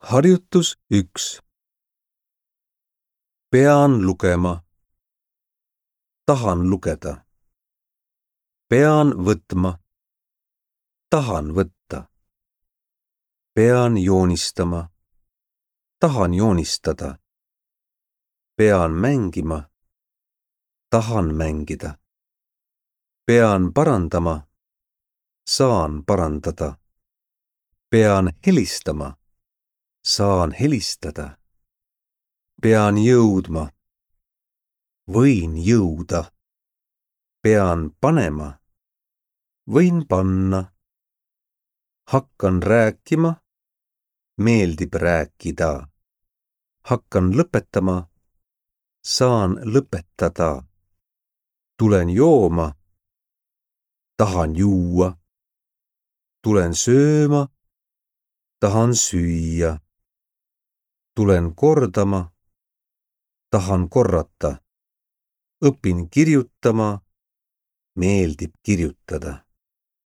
Harjutus 1. Pean lugema. Tahan lugeda. Pean võtma. Tahan võtta. Pean joonistama. Tahan joonistada. Pean mängima. Tahan mängida. Pean parandama. Saan parandada. Pean helistama. Saan helistada. Pean jõudma. Võin jõuda. Pean panema. Võin panna. Hakkan rääkima. Meeldib rääkida. Hakkan lõpetama. Saan lõpetada. Tulen jooma. Tahan juua. Tulen sööma. Tahan süüa. Tulen kordama. Tahan korrata. Õpin kirjutama. Meeldib kirjutada.